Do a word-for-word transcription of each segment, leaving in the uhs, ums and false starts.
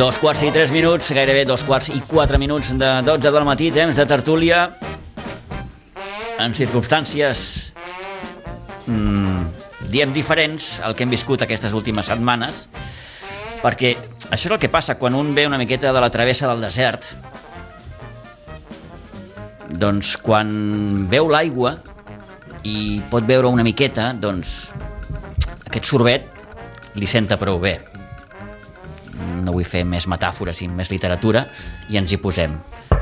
Dos quarts i tres minuts, gairebé dos quarts i quatre minuts de dotze del matí, temps de tertúlia en circumstàncies mmm, diem diferents al que hem viscut aquestes últimes setmanes, perquè això és el que passa quan un ve una miqueta de la travessa del desert. Doncs quan veu l'aigua i pot veure una miqueta, doncs aquest sorbet li senta prou bé. No vull fer més metàfores i més literatura i ens hi posem.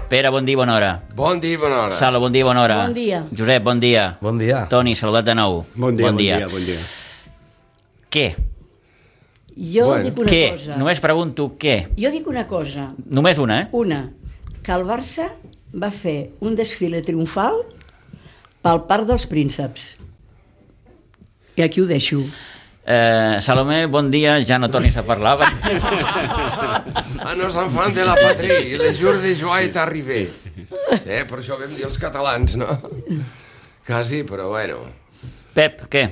Pere, bon dia, bona hora. Bon dia, bona hora. Sala, bon dia, bona hora. Bon dia. Josep, bon dia. Bon dia. Toni, saludat de nou. Bon dia, bon dia, bon dia. Què? Jo Bueno. dic una Què? cosa. Només pregunto què. Jo dic una cosa. Només una, eh? Una, que el Barça va fer un desfile triomfal pel Parc dels Prínceps. I aquí ho deixo. Eh, Salomé, bon dia, ja no tornis a parlar. Ah, nos enfants de la patrie, les jours de joie est arrivé. Eh, per això vam dir els catalans, no? Quasi, però bueno. Pep, què?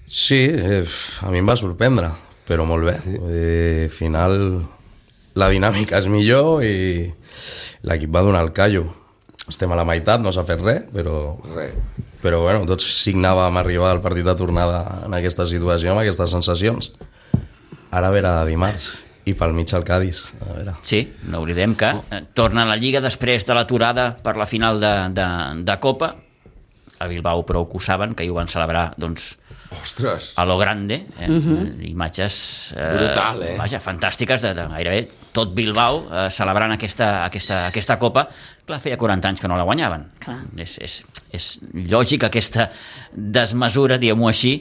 Sí, eh, a mi em va sorprendre, però molt bé. Eh, al final la dinàmica és millor i l'equip va donar el callo. Estem a la meitat, no s'ha fet res, però... Res. Però bueno, tots signàvem arribar al partit de tornada en aquesta situació, amb aquestes sensacions. Ara ve a dimarts i pel mig el Cádiz. A veure. Sí, no oblidem que eh, torna a la Lliga després de l'aturada per la final de, de, de Copa. A Bilbao prou que ho saben, que hi ho van celebrar, doncs, Ostres. a lo grande, eh? Uh-huh. Imatges eh, Brutal, eh? Vaja, fantàstiques de, de gairebé tot Bilbao eh, celebrant aquesta, aquesta, aquesta Copa. Clar, feia quaranta anys que no la guanyaven. Clar. És, és, és lògic aquesta desmesura, diguem-ho així,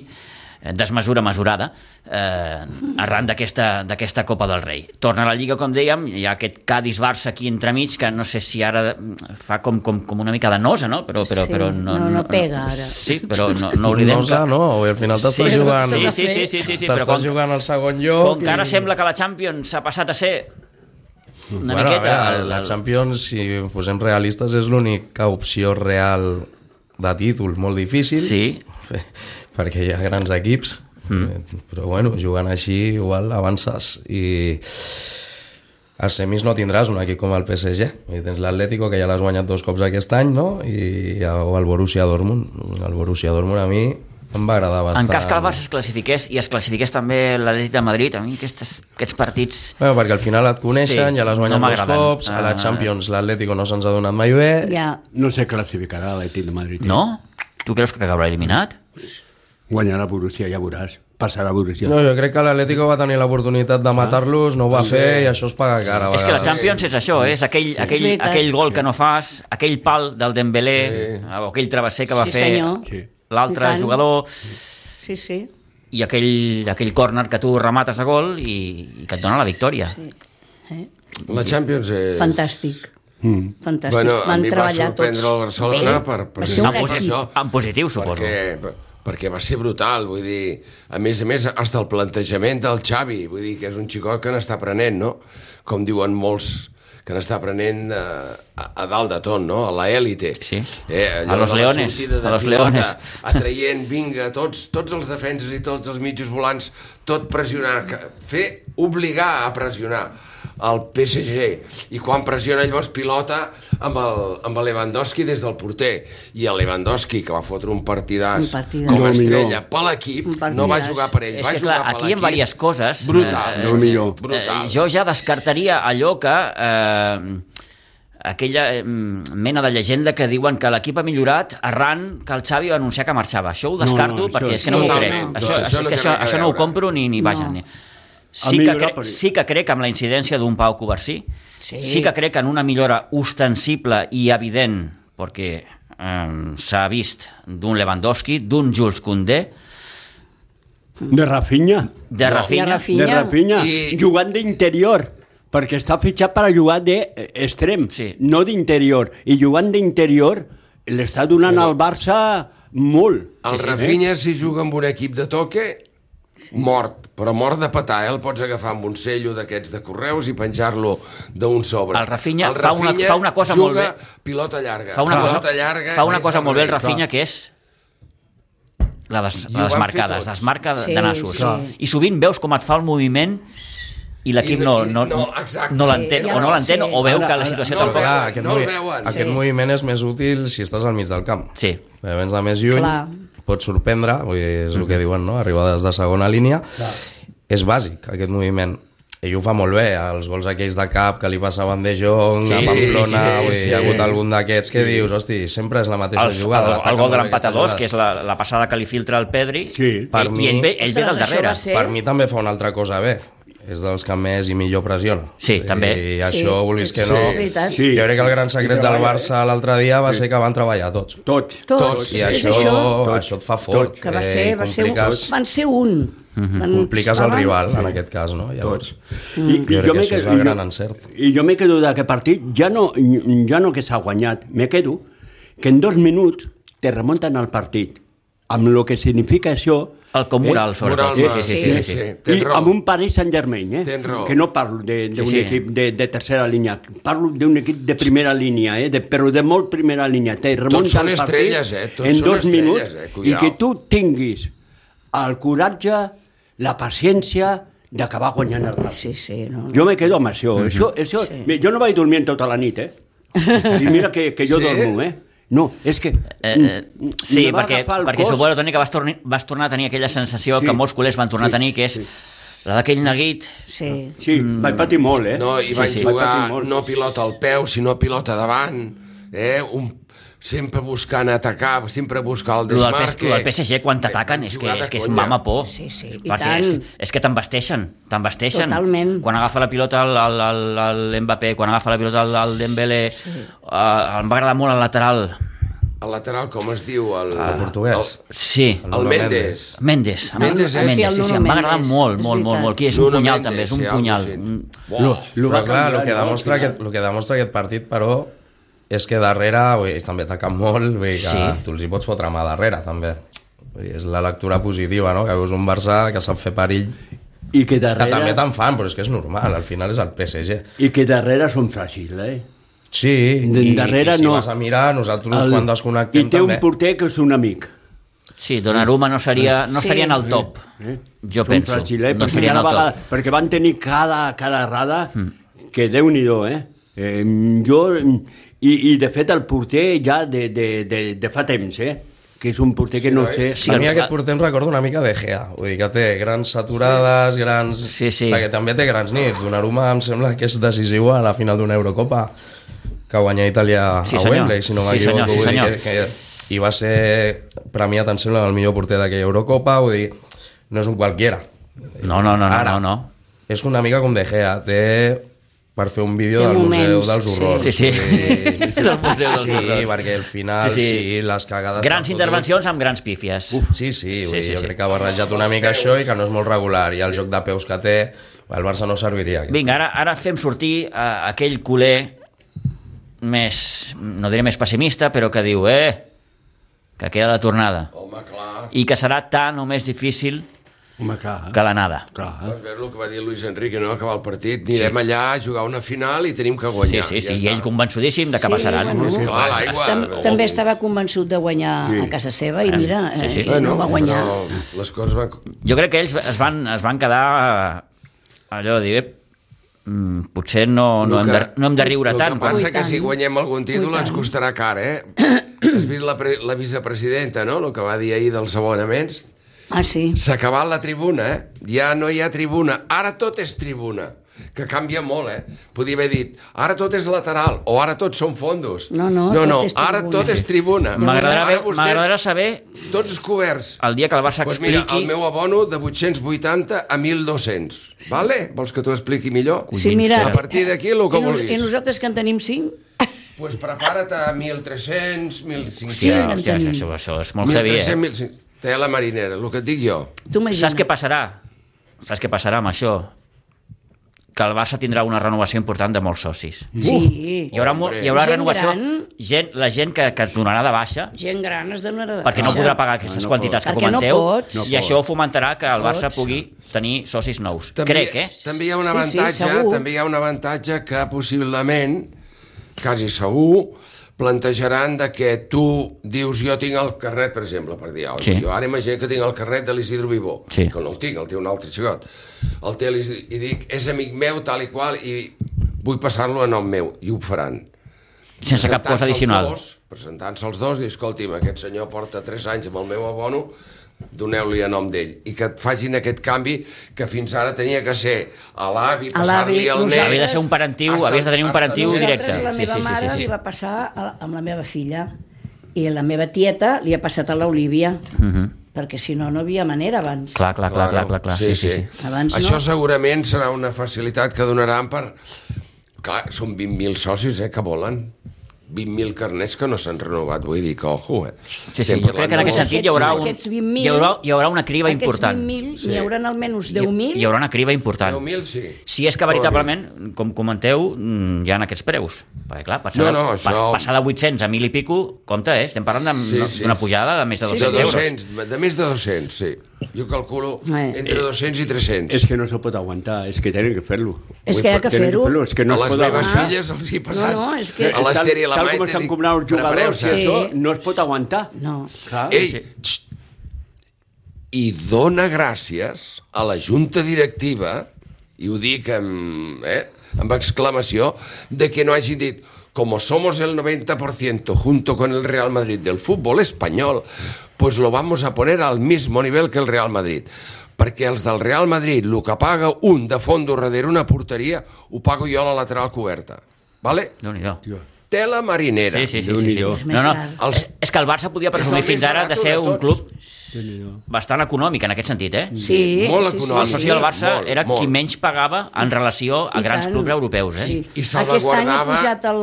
eh, desmesura mesurada, eh, arran d'aquesta, d'aquesta Copa del Rei. Torna a la Lliga, com dèiem, hi ha aquest Cádiz-Barça aquí entremig, que no sé si ara fa com, com, com una mica de nosa, no? Però, però, Sí, però no, no, no pega, ara. Sí, però no, no oblidem Nosa, que... no, al final t'estàs Sí, jugant... sí, sí, sí, sí, sí, sí, però t'estàs com, jugant al segon lloc... com que ara sembla que la Champions s'ha passat a ser una bueno, miqueta... a veure, el- la el- Champions, si fosem realistes, és l'única opció real de títol, molt difícil, Sí. perquè hi ha grans equips, mm. però bueno, jugant així igual avances i a semis no tindràs un equip com el P S G, i tens l'Atlético, que ja l'has guanyat dos cops aquest any, no? I el Borussia Dortmund. El Borussia Dortmund a mi em va agradar bastant. En cas que el Barça es classifiqués i es classifiqués també l'Atlètic de Madrid, a mi aquests, aquests partits... Bueno, perquè al final et coneixen, Sí, ja l'has no guanyat dos m'agraden. cops, a la Ah. Champions l'Atlético no se'ns ha donat mai bé. Ja, No se classificarà l'Atlètic de Madrid. No? Tu creus que acabarà eliminat? Guanyarà Borussia, ja veuràs. Passarà Borussia. No, jo crec que l'Atlético va tenir l'oportunitat de matar-los, no ho va fer i això es paga cara. a És que la vegades. Champions és això, és aquell, aquell, veritat. aquell gol que no fas, aquell pal del Dembélé, o aquell travesser que va Sí, fer senyor. Sí. l'altre I tant. jugador, sí, sí. i aquell, aquell córner que tu remates a gol i, i que et dona la victòria. sí. Eh? La Champions és... Fantàstic. Mm. Fantàstic. Bueno, a Van mi va treballar sorprendre tots el Barcelona bé. per, per, Va ser En, un posi èxit. això. en positiu, suposo. perquè, perquè va ser brutal, vull dir, a més a més, hasta el plantejament del Xavi, vull dir, que és un xicot que n'està aprenent, no? Com diuen molts, que n'està aprenent a, a, a dalt de tot, no? A l'élite. Sí. Eh, A los de la leones, sortida de a los pilota, leones. Atraient, vinga, tots, tots els defenses i tots els mitjos volants, tot pressionar, que- fer, obligar a pressionar el P S G, i quan pressiona llavors pilota amb el, amb el Lewandowski des del porter, i el Lewandowski, que va fotre un partidàs, Un partidàs. com a No, estrella millor. per l'equip, Un partidàs. no va jugar per ell, És va que jugar clar, per aquí hi ha l'equip. diverses coses. Brutal, Eh, no, millor. brutal. Eh, jo ja descartaria allò que... Eh, aquella eh, mena de llegenda que diuen que l'equip ha millorat arran que el Xavi va anunciar que marxava. Això ho descarto No, no, perquè això és que no m'ho crec. totalment. Això, No, això és no que té això, res a això no ho veure. compro ni, ni vaja. No. Ni... Sí, Ha que millorat cre per- sí que crec en la incidència d'un Pau Covarsí. Sí. Sí que crec en una millora ostensible i evident, perquè eh, s'ha vist d'un Lewandowski, d'un Jules Koundé, De Rafinha. de No. Rafinha. I a Rafinha. De Rafinha. I- Jugant d'interior. Perquè està fitxat per a jugar d'extrem, Sí. no d'interior. I jugant d'interior l'està donant al Barça molt. El sí. Rafinha, si juga amb un equip de toque, mort, però mort de petar, eh? El pots agafar amb un cello d'aquests de correus i penjar-lo d'un sobre. El Rafinha fa una- fa una cosa juga molt bé. pilota llarga. Fa una pilota cosa, llarga, fa una més cosa molt bé el servei. Rafinha, que és la des, I ho les van fer marcades, tots. les marques Sí, de nassos. sí. I sovint veus com et fa el moviment i l'equip I no, i- no, no, no, exacte, no sí, l'entén ja o no no, l'entén sí. o veu Ara, que la ara, situació no el tampoc... veuen. Clar, aquest, no el movi- veuen. aquest Sí. moviment és més útil si estàs al mig del camp. Sí. Perquè vens de més lluny, Clar. pots sorprendre, vull dir, és el que diuen, no? Arribades de segona línia. És bàsic, aquest moviment. Ell ho fa molt bé, els gols aquells de cap que li passaven de Jong, Sí, a Pamplona, sí, vull dir, sí. hi ha hagut algun d'aquests que dius, hosti, sempre és la mateixa El, jugada. el, l'ataca el gol de molt bé l'empat a aquesta dos, jugada. que és la, la passada que li filtra el Pedri, Sí. Per i, mi- i ell ve, ell ve del Ostres, això darrere. va ser- Per mi també fa una altra cosa bé. És dels que més i millor pressiona. Sí, també. I això, vulguis que Sí, no... és veritat. Sí. Jo crec que el gran secret del Barça l'altre dia va ser que van treballar tots. Tots. Tots. I És això, això això et fa fort. que va eh, ser, i va ser un, compliques, van ser un. Van, compliques el estaven- rival, en aquest cas, no? Llavors, I, jo crec que me això és quedo- el i gran jo- encert. I jo me quedo d'aquest partit, ja no, ja no que s'ha guanyat, me quedo que en dos minuts te remunten al partit, amb el que significa això. El com moral, eh? sobretot. Moral, Sí, sí, sí. sí, sí, sí. I Tens raó. amb un Paris Saint-Germain, eh? Tens raó. Que no parlo d'un Sí, sí. equip de, de tercera línia, parlo d'un equip de primera línia, eh? de, però de molt primera línia. Te remunta són el partit estrelles, eh? Tots en són dos estrelles, minuts eh? i Cuidao. que tu tinguis el coratge, la paciència d'acabar guanyant el Barça. Sí, sí. No, no. Jo me quedo amb això. això, això Sí. Jo no vaig dormint tota la nit, eh? I mira que, que jo Sí? dormo, eh? No, és que... Eh, eh, sí, me va perquè, agafar el perquè cos. suposo, Toni, que vas, torni, vas tornar a tenir aquella sensació Sí. que molts culers van tornar Sí, a tenir, que és sí. la d'aquell neguit. Sí. Sí, vaig patir molt, eh? No, i Sí, van sí. Vaig jugar patir molt. no pilota al peu, sinó pilota davant, eh? Un, sempre buscant atacar, sempre buscar el Lo del, P- desmarque. lo del P S G, quan t'ataquen, Van és que, jugar de és que és conya. mama por. Sí, sí, i Perquè tant. és, que- és que t'embasteixen, t'embasteixen. Totalment. Quan agafa la pilota el, el, el, el Mbappé, quan agafa la pilota el, el Dembélé, sí. uh, em va agradar molt el lateral. El lateral, com es diu? El, El portuguès. Sí, El, el Mendes. Mendes. em- Mendes, eh? Mendes, Sí, el sí, sí, Nuno em va agradar Mendes, molt, és molt, molt, veritat. molt. Qui és un Nuno punyal, Mendes, també, és un sí, algo punyal. així. Mm. Lo, lo va Però clar, el que, canviar, no? demostra Al final. aquest, el que demostra aquest partit, però, és que darrere, vull dir, ells també ataquen molt, vull dir que Sí. tu els hi pots fotre mà darrere, també. Vull dir, és la lectura positiva, no? Que veus un Barça que sap fer perill, I que que darrere... també te'n fan, però és que és normal, al final és el P S G. I que darrere són fràgils, eh? Sí, De- i, darrere i si no. vas a mirar, nosaltres quan desconnectem I té també... un porter que és un amic. Sí, Donnarumma no seria, no Sí. seria en el top. Eh? Jo Són penso. fràgils, eh? No perquè, seria en el cada vegada, top. perquè van tenir cada, cada errada que Déu-n'hi-do, eh? eh? Jo... I, I, de fet, el porter ja de, de, de, de fa temps, eh? Que és un porter que no noi? sé... Sí, a mi el- aquest porter em recorda una mica de Gea, vull dir que té grans saturades, grans... Sí, sí. Perquè també té grans nits. Donnarumma em sembla que és decisiu a la final d'una Eurocopa que guanya Itàlia Sí, a senyor. Wembley, si no Sí, m'equivoco. senyor, sí, vull dir senyor. que, que, I va ser premiat, em sembla, el millor porter d'aquella Eurocopa, vull dir, no és un qualquiera. No, no, no, no, Ara, no, no. És una mica com de Gea, té per fer un vídeo Té del Museu moments, dels sí. Horrors. Sí, sí. Vull dir, Del Museu dels sí, Horrors. perquè al final, Sí, sí, sí. les cagades... Grans que ha intervencions amb grans pífies. fotut- Sí, sí, vull Sí, dir, sí, jo sí. crec que ha barrejat una mica això i que no és molt regular. I el joc de peus que té, el Barça no serviria. Aquest. Vinga, ara, ara fem sortir uh, aquell culer més, no diré més pessimista, però que diu, eh, que queda la tornada. Home, clar. I que serà tan o més difícil Home, clar. que l'anada. clar. Vas veure el que va dir Luis Enrique, no? Acabar el partit, anirem sí. allà a jugar una final i tenim que Sí, guanyar. sí, sí, ja i ell està. convençudíssim de que Sí, passaran. bueno. Sí, clar, l'aigua... Tam també estava convençut de guanyar Sí. a casa seva i mira, Sí, sí. eh, i no va guanyar. Però les coses van... Jo crec que ells es van, es van quedar eh, allò de dir, eh, mm, potser no, no, El hem de, que- no hem de riure el tant. El que passa Ui, que tant. si guanyem algun títol Ui, ens tant. costarà car, eh? Has vist la, pre la vicepresidenta, no?, el que va dir ahir dels abonaments? Ah, sí. S'ha acabat la tribuna, eh? Ja no hi ha tribuna. Ara tot és tribuna, que canvia molt, eh? Podia haver dit, ara tot és lateral, o ara tot són fondos. No, no, no, tot no és ara tribuna. tot és tribuna. M'agradarà Ara ve- vostès, m'agradarà saber Tots coberts. el dia que el Barça Doncs mira, expliqui... el meu abono de vuit-cents vuitanta a mil dos-cents. Vale? Vols que t'ho expliqui millor? Sí, mira, A partir d'aquí, el que i, nos, vulguis. I nosaltres que en tenim cinc, Pues prepara't a mil tres-cents, mil cinc-cents... Sí, Hòstia, en hòstia, tenim. això, això és molt heavy, eh? mil cinc-cents. Tela marinera, el que et dic jo. tu imagina't. Saps què passarà? Saps què passarà amb això? Que el Barça tindrà una renovació important de molts socis. Sí. Hi haurà, mo- Hombre. hi haurà Gent renovació, gran. gent, la gent que, que es donarà de baixa, Gent gran es donarà de perquè no baixa. podrà pagar aquestes no quantitats pot. que Perquè no comenteu, pots. No i pot. això fomentarà que el Barça Pots. pugui tenir socis nous. També, Crec, eh? També hi ha un Sí, sí, avantatge, segur. també hi ha un avantatge que possiblement, quasi segur, plantejaran de que tu dius jo tinc el carnet, per exemple, per dir, Sí. jo ara imagino que tinc el carnet de l'Isidro Vivó, Sí. que no el tinc, el té un altre xicot. El té l'Isidro, i dic, és amic meu, tal i qual, i vull passar-lo a nom meu, i ho faran. Sense cap cosa addicional. Presentant-se els dos, i escolti'm, aquest senyor porta tres anys amb el meu abono, doneu-li a nom d'ell, i que et facin aquest canvi que fins ara tenia que ser a l'avi, A l'avi, passar-li al nosaltres- net... Havia de ser un parentiu, Hasta- havies de tenir un hasta parentiu no sé. directe. Nosaltres, la Sí, meva sí, sí, mare sí, sí. li va passar a, amb la meva filla i la meva tieta li ha passat a l'Olívia, Mhm. perquè si no, no havia manera abans. Clar, clar, clar, clar, clar, clar. Sí, sí, sí. Abans Això no. segurament serà una facilitat que donaran per... Clar, són vint mil socis, eh, que volen. vint mil carnets que no s'han renovat, vull dir que, ojo, eh. Sí, sí, Estem jo crec que en parlant aquest de- sentit hi haurà, un, Aquests vint mil- hi haurà, hi haurà una criba important. Aquests vint mil, Sí. n'hi haurà almenys deu mil. Hi haurà una criba important. deu mil, sí. Si és que veritablement, com comenteu, mm, hi ha aquests preus. Perquè clar, passar, No, no, de, això- pas- passar de vuit-cents a mil i pico, compte, eh? Estem parlant Sí, d'una sí. d'una pujada de més de Sí, De dos-cents euros. dos-cents, de més de dos-cents, sí. Jo calculo Eh. entre dos-cents i tres-cents. Es que no se pot aguantar, es que tenen que fer-lo. És que hi ha que Tenen fer-ho. fer-lo, és que no a es les pot meves aguantar. filles els hi passat. No, no, és que- a l'Ester i a la tal Maite com estan dic, cobrant els jugadors, prepareu-se. Sí. això no es pot aguantar. No. Clar. Ei, Sí. xt, i dona gràcies a la junta directiva, i ho dic amb, eh, amb exclamació, de que no hagi dit como somos el noventa por ciento junto con el Real Madrid del fútbol español, pues lo vamos a poner al mismo nivel que el Real Madrid. Perquè els del Real Madrid, el que paga un de fondo darrere una porteria, ho pago jo a la lateral coberta. Vale? Déu-n'hi-do. Tela marinera. Sí, sí, sí, sí, sí. Déu-n'hi-do. No, no, És més és, és que el Barça podia presumir És el fins més ara barat de ser de un tots. club bastant econòmic en aquest sentit, eh? Sí, molt sí, econòmic. El sí, soci sí. del Barça Molt, era molt. qui menys pagava en relació a I grans tant. clubs europeus, eh? Sí. I Aquest any ha salvaguardava- pujat el,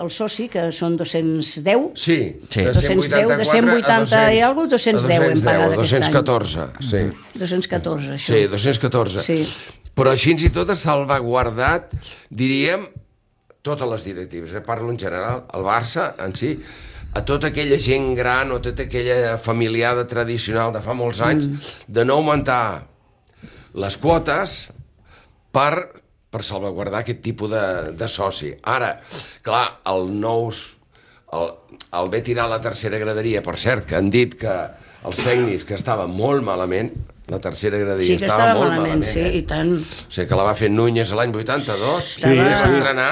el soci, que són dos-cents deu. Sí, Sí. de dos-cents deu, de cent vuitanta i alguna cosa, dos-cents deu hem pagat aquest dos-cents any. catorze, sí. dos-cents catorze, això. Sí, dos-cents catorze. Sí. Però així i tot ha salvaguardat, diríem, totes les directives, eh? Parlo en general, el Barça en si, a tota aquella gent gran o tota aquella familiada tradicional de fa molts anys, mm. de no augmentar les quotes per, per salvaguardar aquest tipus de, de soci. Ara, clar, el nous... El, el ve tirar a la tercera graderia, per cert, que han dit que els tècnics que estaven molt malament, la tercera graderia Sí, que estava, estava molt malament, malament, sí, eh? i tant. O sigui, que la va fer Núñez l'any vuitanta-dos, Sí, la vam sí. estrenar,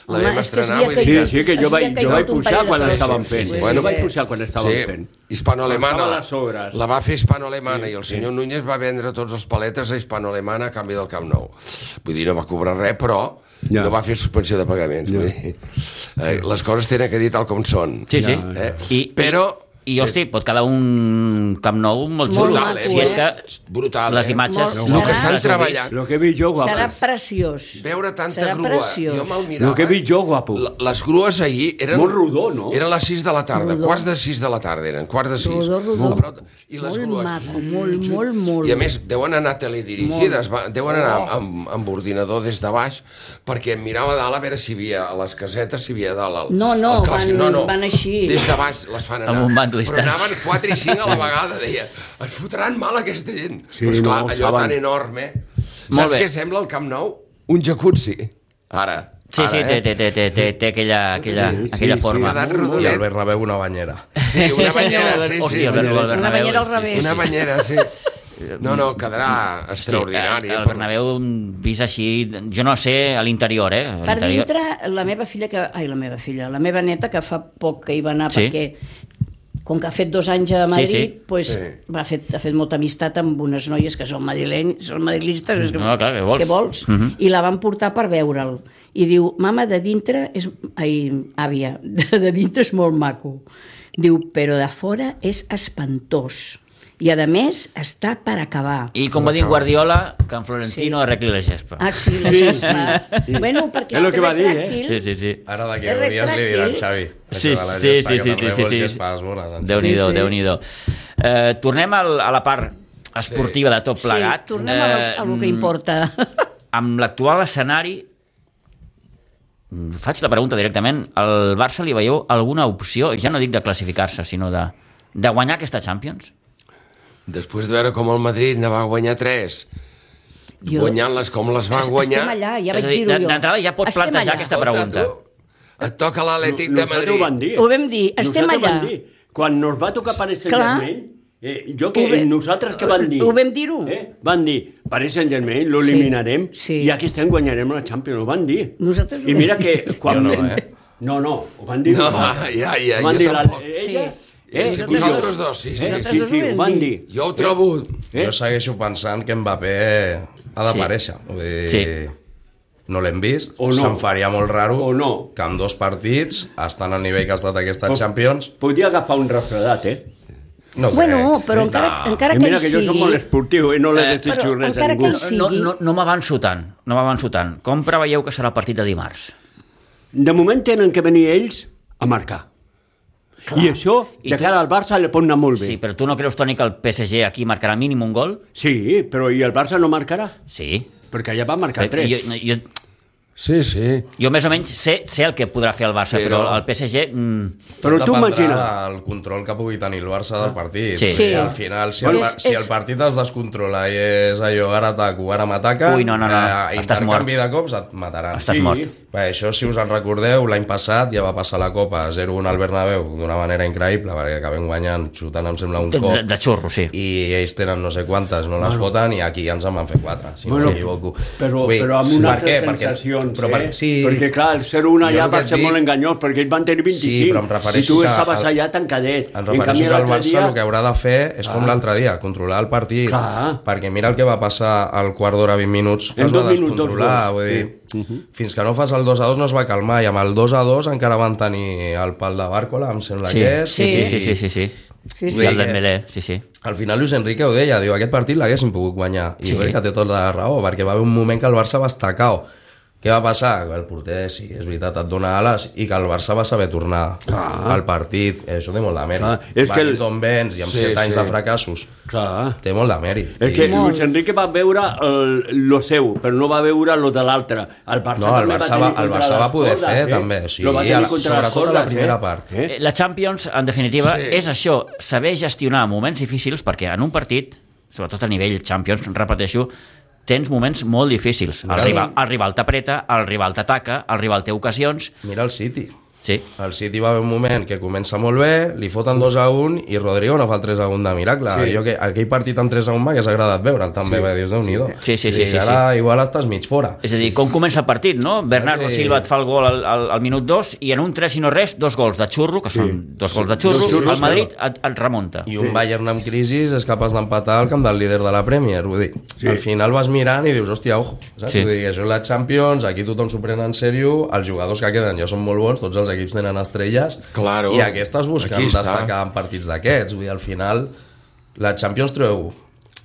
la Home, vam és que estrenar, havia vull Sí, dir caigut- que... sí, que jo Havia vaig, jo caigut vaig un pujar parell de quan coses. estaven Sí, fent. sí, Bueno, sí. vaig pujar quan estaven Sí, fent. hispano-alemana, Estava a la, les obres. la va fer hispano-alemana Sí, i el sí. senyor Núñez va vendre tots els paletes a hispano-alemana a canvi del Camp Nou. Vull dir, no va cobrar res, però Ja. no va fer suspensió de pagaments. Vull dir, eh, les coses tenen que dir tal com són. Sí, sí. Eh? I, Però... I, i hosti, pot quedar un Camp Nou molt Molt xulo. maco, si és eh? que Brutal, les eh? imatges... Molt- El que Serà- estan treballant, Lo que he vist jo, Serà guapos. preciós. veure tanta Serà grua, preciós. jo me'l mirava... Lo que he vist jo, guapo. La- Les grues ahir eren... Molt rodó, no? Eren les sis de la tarda, Rodó. quarts de sis de la tarda eren, quarts de sis. Rodó, rodó. A prop de- I les Molt grues... maco, molt, molt, molt. I a més, deuen anar teledirigides, va, deuen anar Oh. amb, amb ordinador des de baix, perquè em mirava a dalt a veure si hi havia, a les casetes, si hi havia a dalt el, No, no, el clàssic. van- van així. Des de baix les fan anar. Amb un bando Però distant. anaven quatre i cinc a la vegada, deia, es fotran mal aquesta gent. Sí, Però esclar, no, allò saben. tan enorme. Molt Saps bé. què sembla el Camp Nou? Un jacuzzi. Ara. Sí, ara, sí, eh? té, té, té, té, té, té aquella, aquella, Sí, sí, aquella sí, forma. edat I rodonet. el Bernabéu una banyera. Sí, una banyera, sí, sí. Hòstia, sí. el Bernabéu, Una banyera al sí, revés. sí, sí. Una banyera, sí. No, no, quedarà extraordinari. Sí, eh, el per- Bernabéu vist així, jo no sé a l'interior, eh? A Per l'interior. dintre, la meva filla, que, ai, la meva filla, la meva neta, que fa poc que hi va anar, Sí. perquè com que ha fet dos anys a Madrid, Sí, sí. Pues, Sí. ha, fet, ha fet molta amistat amb unes noies que són madrilenys, són madrilistes, és que, No, clar, què vols? què vols? Mhm. I la van portar per veure'l. I diu, mama, de dintre és... Ai, àvia, de, de dintre és molt maco. Diu, però de fora és espantós. I, a més, està per acabar. I com va dir Guardiola, que en Florentino Sí. arregli la gespa. Ah, sí, la Sí, gespa. Bueno, perquè És lo que va dir, eh? retràctil. Sí, sí, sí. Ara d'aquí És deu dies li diran retràctil. Xavi. Sí, això de la sí, gespa, sí, que sí, per sí, rebel sí, sí. gespes bones, em Déu-n'hi-do, Sí, sí. Déu-n'hi-do. Eh, tornem al, a la part esportiva de tot plegat. Sí, tornem a, lo, a lo que Eh, importa. Amb l'actual escenari, mm, faig la pregunta directament, al Barça li veieu alguna opció, ja no dic de classificar-se, sinó de, de guanyar aquesta Champions? Després de veure com el Madrid ne va guanyar tres, Jo- guanyant-les com les van guanyar... Estem allà, ja És vaig a dir, dir-ho jo. d'entrada ja pots Estem plantejar allà. aquesta Escolta, pregunta. tu, Et toca l'Atlètic de Nosaltres Madrid. ho vam dir. Ho vam dir, estem Nosaltres allà. vam dir. Quan nos va tocar Paris Clar. Saint-Germain, eh, jo que Ho ve- nosaltres que vam dir... ho vam dir-ho. Eh? Vam dir, Paris Saint-Germain l'eliminarem Sí, sí. i aquí estem guanyarem la Champions, ho vam dir. Nosaltres ho I mira vam que... Quan... Jo no, eh? No, no, ho van dir. No, nosaltres. ja, ja, Ho van jo dir la- tampoc. Ella, Sí. eh, Sí, i vosaltres jo. dos, sí, sí. Eh, Nosaltres sí, ho sí, vam ho van dir. dir. Jo ho trobo... Eh? Jo segueixo pensant que Mbappé ha d'aparèixer. Vull dir, Sí. no l'hem vist, O no. se'm faria molt raro O no. que en dos partits, estan al nivell que ha estat aquesta Pot- Champions, Podia agafar un refredat, eh? no Bueno, crec. però encara, No. encara I que mira ell que jo soc sigui... molt esportiu i no li Eh, desitjo però res a encara que ningú. ell sigui- No, no, no m'avanço tant, no m'avanço tant. Com preveieu que serà el partit de dimarts? De moment tenen que venir ells a marcar. I això, I de tu- cara al Barça, li pot anar molt bé. Sí, però tu no creus, Toni, que el P S G aquí marcarà mínim un gol? Sí, però i el Barça no marcarà? Sí. Perquè ja va marcar tres. Jo, jo, Sí, sí. jo més o menys sé, sé el que podrà fer el Barça, Sí, però no. el P S G... Mm, Però Tot tu dependrà imagina. del control que pugui tenir el Barça del partit. Sí. Sí. Al final, si el, Bueno, par- si és- el partit es descontrola i és allò, ara ataco, ara m'ataca, Ui, no, no, no, eh, estàs intercanvi mort. de cops et mataran. Estàs Sí. mort. Bé, això, si us en recordeu, l'any passat ja va passar la Copa zero un al Bernabéu d'una manera increïble, perquè acabem guanyant, xutant, em sembla, un de, cop. de, de xurro, sí. I ells tenen no sé quantes, no les foten, i aquí ja ens en van fer quatre, si Bueno, no m'equivoco. Però, Vull dir, però amb per unes què? altres Perquè- sensacions, però eh? per- sí, Perquè, clar, el zero un Jo allà el que va et ser dic- molt enganyós, perquè ells van tenir vint-i-cinc, Sí, però em i refereixo tu que estaves el- allà tancadet. Em En refereixo canvi, que el l'altre Barça dia- el que haurà de fer és com l'altre dia, controlar el partit. Clar. Perquè mira el que va passar al quart d'hora, vint minuts, que En es va dos minuts, descontrolar. dos Vull gols. dir, fins que no fas el dos a dos no es va calmar, i amb el dos a dos encara van tenir el pal de Bárcola, em sembla Sí, que és. sí, i- sí, sí, sí, sí, sí. Sí, I sí. el Dembélé, sí, sí. Al final Luis Enrique ho deia, diu, aquest partit l'haguéssim pogut guanyar, i Sí. jo crec que té tota la raó, perquè va haver un moment que el Barça va estar cao. Què va passar? Que el porter, sí, és veritat, et dona ales, i que el Barça va saber tornar Clar. al partit. Això té molt de mèrit. Clar, és Va que dir el- d'on vens, i amb Sí, set anys sí. de fracassos, Clar. té molt de mèrit. És que I- Molt. Luis Enrique va veure el, lo seu, però no va veure lo de l'altre. El Barça No, el també Barça va, va- tenir el contra Barça va les poder cordes, fer, eh? també, sí, Lo va tenir a la- contra les sobretot a la cordes, primera eh? part. Eh? Eh, La Champions, en definitiva, Sí. és això, saber gestionar moments difícils, perquè en un partit, sobretot a nivell Champions, repeteixo, tens moments molt difícils. El, Sí. rival, el rival t'apreta, el rival t'ataca, el rival té ocasions... Mira el City. Sí, El City va haver un moment que comença molt bé, li foten dos a un i Rodrigo no fa el tres a un de miracle. Sí. Jo que, aquell partit amb tres a un m'hagués agradat veure'l també, sí. Dius, Déu-n'hi-do. Sí, sí, sí, I sí, ara igual estàs mig fora. és a dir, com comença el partit, no? Bernardo Sí. Silva et fa el gol al, al, al minut dos i en un tres i no res, dos gols de xurro, que són dos gols de xurro, Dos xurros, el Madrid et, et remunta. I un Bayern amb crisi és capaç d'empatar el camp del líder de la Premier, vull dir. Sí. Al final vas mirant i dius, hòstia, ojo, saps? Sí. Vull dir, això és la Champions, aquí tothom s'ho pren en sèrio, els jugadors que queden ja són molt bons, tots els equips tenen estrelles, Claro. i aquí estàs buscant Aquí està. destacar en partits d'aquests, vull dir, al final la Champions treu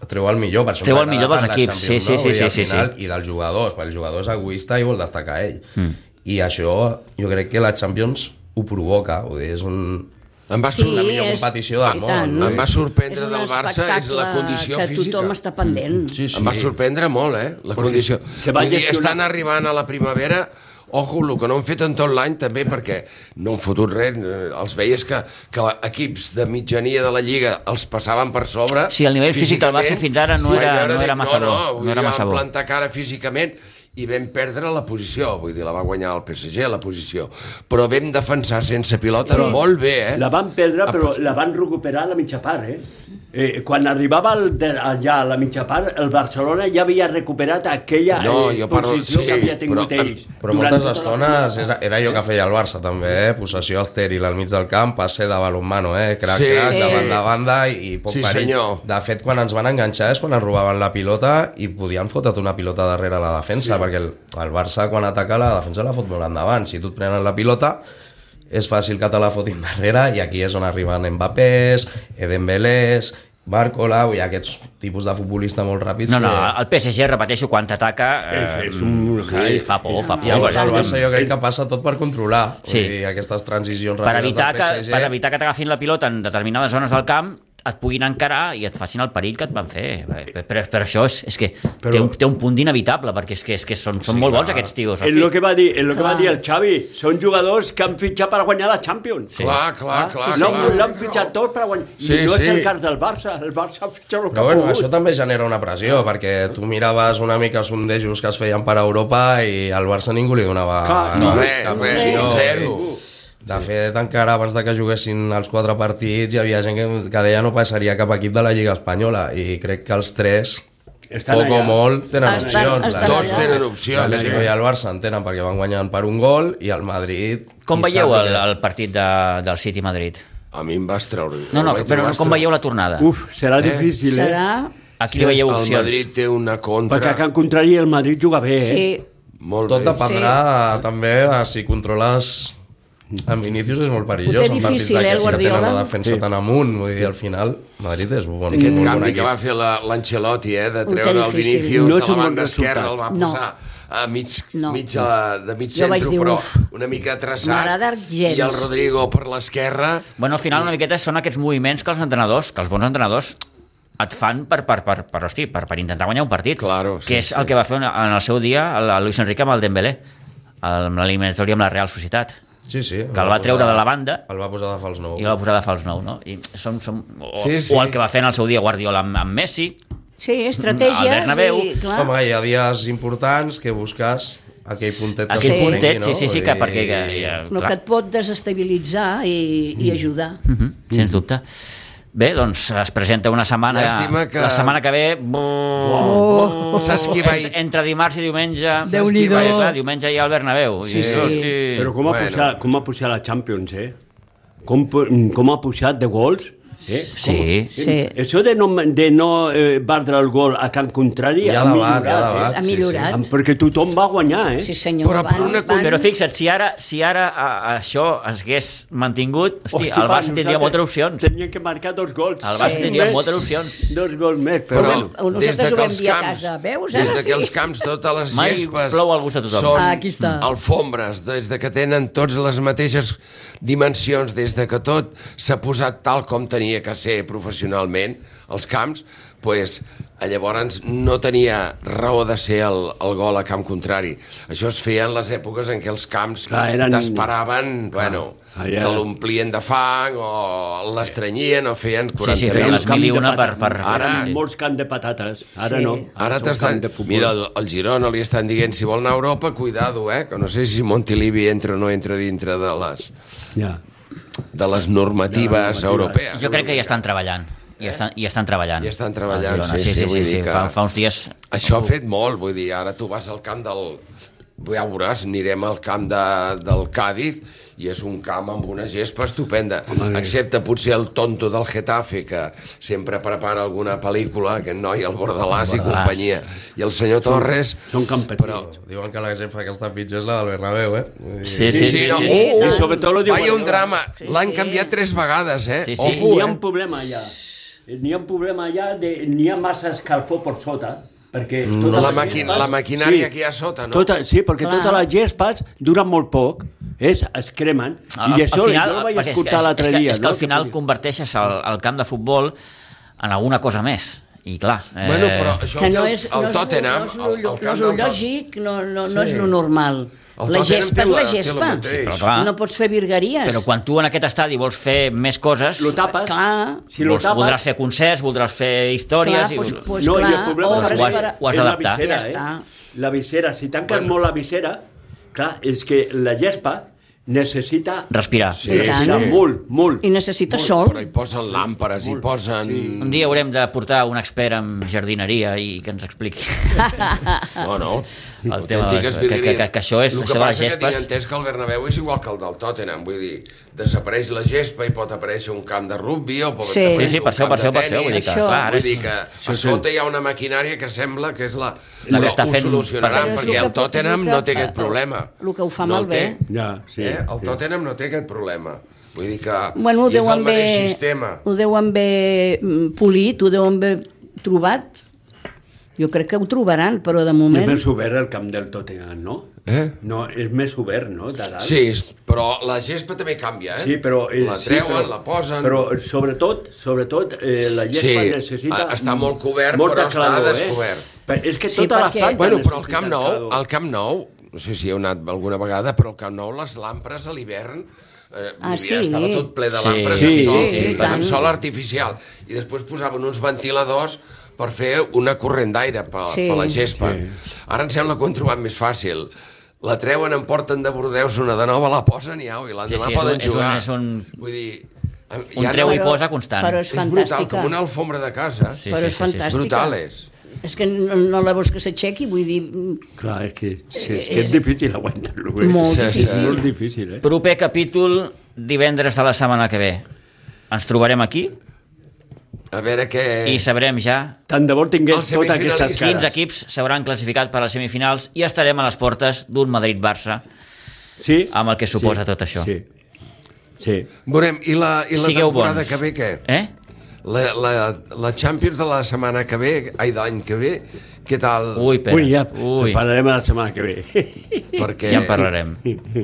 treu el millor, per això Treu ens el millor agrada dels tant la equips, Champions, sí, sí, no? Vull sí, dir, al sí, final, sí. i dels jugadors, perquè el jugador és egoista i vol destacar ell. Mm. I això jo crec que la Champions ho provoca, vull dir, és un... Em va, Sí, sur... la millor és- competició del i món, tant. no? em va sorprendre un del Barça és la espectacle condició que física. tothom està pendent. Sí, sí. Em va sorprendre molt, eh, la condició. se va Vull dir, gestionar- estan arribant a la primavera, ojo, el que no han fet en tot l'any també, perquè no han fotut res, eh, els veies que, que equips de mitjania de la Lliga els passaven per sobre. Sí, el nivell físic del Barça fins ara no Vaig era- veure, no era dic, massa no, bo, no, no vull era dir, massa van bo. plantar cara físicament i vam perdre la posició, vull dir, la va guanyar el P S G, la posició, però vam defensar sense pilota Però molt bé, eh? La van perdre, però la van recuperar a la mitja part, eh? Eh, quan arribava el de, allà a la mitja part, el Barcelona ja havia recuperat aquella No, eh, jo parlo- posició sí, que havia tingut però- ells. Però durant moltes tota la estones primera era, era allò que feia el Barça també, eh? Possessió estèril al mig del camp, passe de balonmano, eh? Crac, Sí, crac, sí. de banda a banda i, i poc Sí, perill. senyor. De fet, quan ens van enganxar és quan ens robaven la pilota i podien fotre't una pilota darrere la defensa, sí. perquè el, el Barça quan ataca la defensa la fot molt endavant. Si tu et prenen la pilota és fàcil que te la fotin darrere, i aquí és on arriben Mbappés, Dembélés, Bárcola, i aquests tipus de futbolista molt ràpids. No, no, que... el P S G, repeteixo, quan t'ataca... És- és un- sí, fa por, fa por. Llavors el perquè- Barça jo crec que passa tot per controlar, Sí. vull dir, aquestes transicions per ràpides evitar, del que, P S G. per evitar que t'agafin la pilota en determinades zones del camp, et puguin encarar i et facin el perill que et van fer. Però, però això és, és que però... té, un, té un punt d'inevitable, perquè és que, és que són, són sí, molt bons aquests tios. És el que va dir, és el que va dir el Xavi, són jugadors que han fitxat per guanyar la Champions. Sí. Clar, clar, ah, clar. Sí, no, clar. L'han fitxat tot per guanyar. Sí, I no sí. és el cas del Barça, el Barça ha fitxat el que ha bueno, pogut. Això també genera una pressió, perquè tu miraves una mica sondejos que es feien per Europa i al Barça ningú li donava... Clar, no, res, res, no, zero. De fet, encara abans de que juguessin els quatre partits hi havia gent que, que deia no passaria cap equip de la Lliga Espanyola i crec que els tres, estan poc allà. O molt, tenen estan, opcions. Estan Tots tenen opcions. L'Atlético i el Barça en tenen perquè van guanyant per un gol i el Madrid... Com veieu el, el partit de, del City-Madrid? A mi em va estreure. No, no, però com veieu la tornada? Uf, serà eh? difícil, eh? Serà... Aquí li veieu opcions. El Madrid té una contra... Perquè que en contrari el Madrid juga bé, eh? Sí. Molt Tot bé. dependrà sí. també de si controles... En Vinícius és molt perillós, en partits eh, d'aquests que tenen la defensa sí. tan amunt, vull dir, al final Madrid és bon. Aquest bon canvi bon que va fer l'Ancelotti, eh, de treure el Vinícius no de la banda esquerra, el va posar no. a mig, no. mig a, de mig centre, però uf, una mica traçat, i el Rodrigo per l'esquerra. Bueno, al final una miqueta són aquests moviments que els entrenadors, que els bons entrenadors et fan per, per, per, per, hosti, per, per intentar guanyar un partit, claro, sí, que és sí. el que va fer en el seu dia el Luis Enrique amb el Dembélé, amb l'eliminatòria amb la Real Societat. Sí, sí, que el va treure de la banda el va posar de fals nou i el va posar de fals nou, no? I som, som, o, sí, sí. o el que va fer en el seu dia Guardiola amb, amb Messi, sí, estratègies al Bernabéu i, clar. Home, hi ha dies importants que busques aquell puntet aquell que puntet, prengui, no? sí, sí, sí, que perquè que, ja, el que et pot desestabilitzar i, i ajudar mm -hmm, sens dubte. Bé, doncs es presenta una setmana que... la setmana que ve oh, oh, saps qui va entre, entre dimarts i diumenge Déu-n'hi-do. Clar, diumenge hi ha el Bernabéu sí, i, sí. hosti... Però com ha, bueno. pujat, com ha pujat la Champions, eh? Com, com ha pujat de gols? Eh? Sí. sí. Això de no, de no eh, batre el gol a camp contrari ja ha millorat, eh? ha millorat. Sí, sí. Perquè tothom va guanyar, eh? Sí, senyor. Però, van, una... van... però fixa't, si ara, si ara a, a això es hagués mantingut, hosti, hosti el Barça tindria moltes opcions. Tenien que marcar dos gols. El Barça sí. tindria més, moltes opcions. Dos gols més, però, però bueno. Nosaltres ho vam dir a casa, veus? Des de que els camps, totes les Mai gespes plou al gust de tothom. són ah, aquí està. alfombres, des de que tenen tots les mateixes dimensions, des de que tot s'ha posat tal com tenia que ser professionalment, els camps, pues, llavors no tenia raó de ser el, el gol a camp contrari. Això es feia en les èpoques en què els camps Clar, eren... t'esperaven, bueno, ah, ja. te l'omplien de fang o l'estrenyien o feien quaranta sí, sí, feien les mil i una per... per... Ara, sí. molts camps de patates, ara sí. no. Ara, ara t'estan... Mira, el, el Girona li estan dient si vol anar a Europa, cuidado, eh, que no sé si Montilivi entra o no entra dintre de les... Ja. de les normatives ja, europees. Jo crec que ja estan treballant. I eh? estan, i estan treballant. I estan treballant, sí, sí, sí, sí, vull sí, dir que... Fa, fa uns dies... Això ha fet molt, vull dir, ara tu vas al camp del... Ja ho veuràs, anirem al camp de, del Cádiz i és un camp amb una gespa estupenda, home, excepte potser el tonto del Getafe, que sempre prepara alguna pel·lícula, aquest noi, el Bordalàs i companyia, i el senyor Torres... Són campetins. Però... Diuen que la gespa que està pitjor és la del Bernabéu, eh? Sí, sí, sí. sí, no. sí, sí. Oh, oh, sobre tot lo diu... Vaya un drama, sí, l'han sí. canviat tres vegades, eh? Sí, sí. Ojo, N'hi ha eh? un problema allà. N'hi ha un problema allà, de, n'hi ha massa escalfor per sota, perquè... La, la, maqui la maquinària sí, que hi ha sota, no? Tota, sí, perquè Clar. totes les gespes duren molt poc, és, es cremen, al, i això al final, jo ho vaig escoltar és, l'altre és que, dia. És que al no? final converteixes el, el camp de futbol en alguna cosa més. I clar... Eh... Bueno, però això que no el, és, el no Tottenham... És, el, el no és el lògic, no, no, no sí. és lo normal. El la Tottenham gespa és la la, gespa. Sí, però clar, no pots fer virgueries. Però quan tu en aquest estadi vols fer més coses... Lo tapes. Clar. Si lo vols, tapes... Voldràs fer concerts, voldràs fer històries... Clar, i... pues, pues, no, clar, i el problema doncs ho has, ho has d'adaptar. La visera, ja eh? està. La visera, si tanques bueno. molt la visera, clar, és que la gespa necessita... Respirar. Sí, tant. sí. Molt, molt. I necessita molt, sol. Però hi posen làmperes, hi posen... Sí. Un dia haurem de portar un expert en jardineria i que ens expliqui No, no. el tema de, que, que, que, que això és el això que de les passa que gespes. tinc entès que el Bernabéu és igual que el del Tottenham, vull dir, desapareix la gespa i pot aparèixer un camp de rugby o pot Sí. aparèixer Sí, sí, per un això, camp per això, de per això, vull dir tenis. que, clar, ara Vull dir és- que a sota hi ha una maquinària que sembla que és la, La que està ho fent- solucionaran, Però és perquè el el que- Tottenham és el no que- té aquest problema. el que ho fa no malbé. té. Ja, sí, eh? El sí. Tottenham no té aquest problema. Vull dir que Bueno, ho i és el deuen mateix haver, sistema. ho deuen haver mm, polit, ho deuen haver trobat. Jo crec que ho trobaran, però de És moment... més obert el camp del Tottenham, no? Eh? No, és més obert, no? De dalt. Sí, però la gespa també canvia, eh? Sí, però... Eh, la sí, treuen, però, la posen... Però sobretot, sobretot eh, la gespa Sí, necessita... està molt cobert, molta però està claror, descobert. Eh? Però és que Sí, tota la perquè- planta Bueno, però al necessita Camp Nou, claror. al Camp Nou, no sé si heu anat alguna vegada, però al Camp Nou les lampres a l'hivern eh, Ah, vivia, sí? estava tot ple de Sí, lampres sí, de sol, sí, sí, amb tant. sol artificial. I després posaven uns ventiladors per fer una corrent d'aire per, Sí. per la gespa. Ara em sembla que ho han trobat més fàcil. La treuen, en porten de Bordeus una de nova, la posen i au, i l'endemà Sí, sí, és poden un- és un- jugar. és un- Vull dir... Un ja treu no- i posa constant. Però és És brutal, fantàstica. com una alfombra de casa. Sí, Però sí, és sí, sí, sí. fantàstica. És brutal, és. És que no, no la vols que s'aixequi, vull dir... Clar, és que, sí, és, que és difícil aguantar-lo. Eh? Molt Sí, sí. És molt difícil, eh? Proper capítol, divendres de la setmana que ve. Ens trobarem aquí A veure què... i sabrem ja Tant de bo tingués Els totes aquestes semifinalistes. quins cares. equips s'hauran classificat per a les semifinals i estarem a les portes d'un Madrid-Barça. Sí, amb el que suposa sí, tot això. Sí, sí. Veurem, i la, i la Sigueu temporada bons. que ve què? Eh? La, la, la Champions de la setmana que ve, ai, de l'any que ve, què tal? Ui, Pere. Ui, ja, Ui. parlarem la setmana que ve. Perquè Ja en parlarem.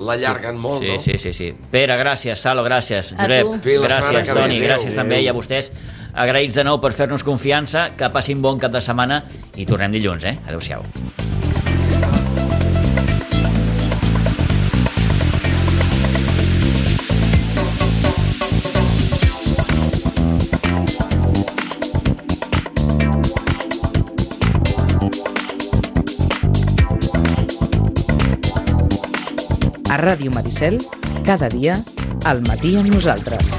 l'allarguen molt, Sí, no? sí, sí, sí. Pere, gràcies. Salo, gràcies. A Josep, tu. Fins la setmana gràcies. que ve. Toni, Adéu. gràcies també. I a vostès, agraïts de nou per fer-nos confiança. Que passin bon cap de setmana i tornem dilluns, eh? Adéu-siau. A Ràdio Maricel, cada dia, al matí amb nosaltres.